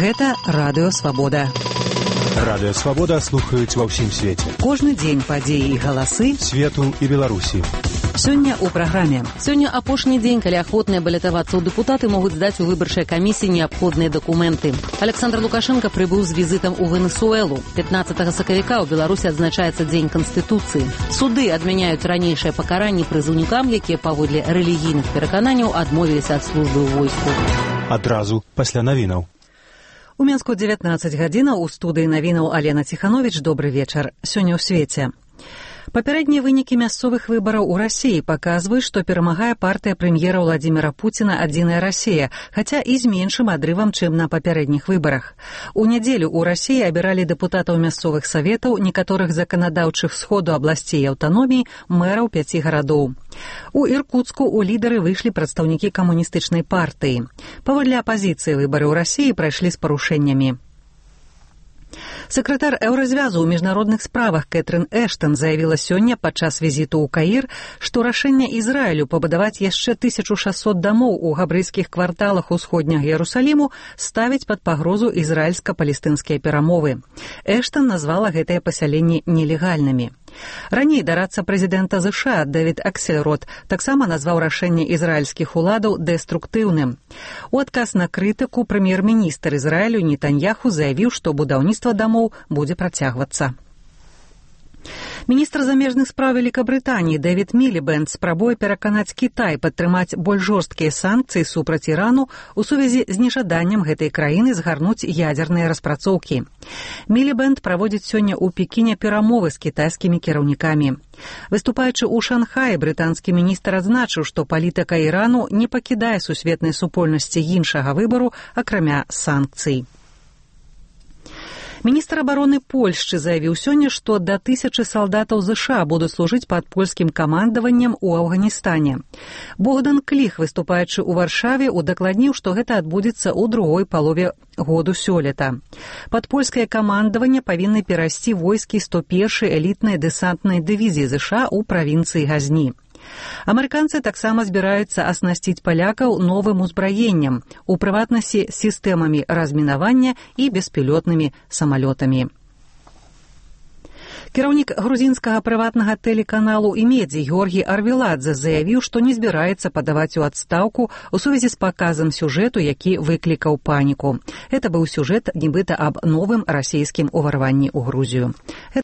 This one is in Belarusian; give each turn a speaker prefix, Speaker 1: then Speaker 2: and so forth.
Speaker 1: Гэта Радыё Свабода.
Speaker 2: Радыё Свабода слухаюць ва ўсім свеце.
Speaker 1: Кожны дзень падзеі і галасы
Speaker 2: свету і Беларусі.
Speaker 1: Сёння ў праграме.
Speaker 3: Сёння апошні дзень, калі ахвотныя балятавацца ў дэпутаты могуць здаць у выбарчай камісіі неабходныя дакументы. Александр Лукашенко прыбыў з візітам у Венесуэлу. 15 сакавіка ў Беларусі адзначаецца Дзень Канстытуцыі. Суды адмяняюць ранейшае пакаранне прызыўнікам, якія паводле рэлігійных перакананняў адмовіліся ад службы ў войску.
Speaker 2: Адразу пасля навінаў.
Speaker 1: У Мінску 19 гадзінаў у студыі навінаў Алена Ціхановіч. Добры вечар. Сёння ў свеце. Папярэднія вынікі мясцовых выбараў у Расіі паказваюць, што перамагае партыя прэм'ера Владзіміра Пуціна «Адзіная Расія», хаця і з меншым адрывам, чым на папярэдніх выбарах. У нядзелю ў Расіі абіралі дэпутатаў мясцовых саветаў, некаторых заканадаўчых сходу абласцей і аўтаномій, мэраў 5 гарадоў. У Іркуцку ў лідары выйшлі прадстаўнікі камуністычнай партыі. Паводле апазіцыі выбары ў Расіі прайшлі з парушэннямі. Сакратар Еўразвязу ў міжнародных справах Кэтрын Эштон заявіла сёння падчас візіту ў Каір, што рашэнне Ізраілю пабудаваць яшчэ 1600 дамоў у габрэйскіх кварталах усходняга Іерусаліму ставіць пад пагрозу ізраільска-палестынскія перамовы. Эштон назвала гэтыя пасяленні нелегальнымі. Раней дарадца прэзідэнта ЗША Дэвід Аксельрод таксама назваў рашэнне ізраільскіх уладаў дэструктыўным. У адказ на крытыку прэм'ер-міністр Ізраілю Нетаньяху заявіў, што будаўніцтва дамоў будзе працягвацца. Міністр замежных спраў Вялікабрытаніі Дэвід Мілібэнд спрабуе пераканаць Кітай падтрымаць больш жорсткія санкцыі супраць Ірану ў сувязі з нежаданнем гэтай краіны згарнуць ядзерныя распрацоўкі. Мілібэнд праводзіць сёння ў Пекіне перамовы з кітайскімі кіраўнікамі. Выступаючы ў Шанхаі, брытанскі міністр адзначыў, што палітыка Ірану не пакідае сусветнай супольнасці іншага выбару, акрамя санкцый. Міністр абароны Польшчы заявіў сёння, што да 1000 салдатаў ЗША будуць служыць пад польскім камандаваннем у Афганістане. Богдан Кліх, выступаючы ў Варшаве, удакладніў, што гэта адбудзецца ў другой палове году сёлета. Пад польскае камандаванне павінны перайсці войскі 101-й элітнай дэсантнай дывізіі ЗША ў правінцыі Газні. Амерыканцы таксама збіраюцца аснасціць палякаў новым узбраеннем, у прыватнасці сістэмамі размінавання і беспілотнымі самалётамі. Кіраўнік грузінскага прыватнага тэлеканалу «Імедзі» Георгій Арвеладзе заявіў, што не збіраецца падаваць у адстаўку ў сувязі з паказам сюжэту, які выклікаў паніку. Гэта быў сюжэт нібыта аб новым расійскім уварванні ў Грузію.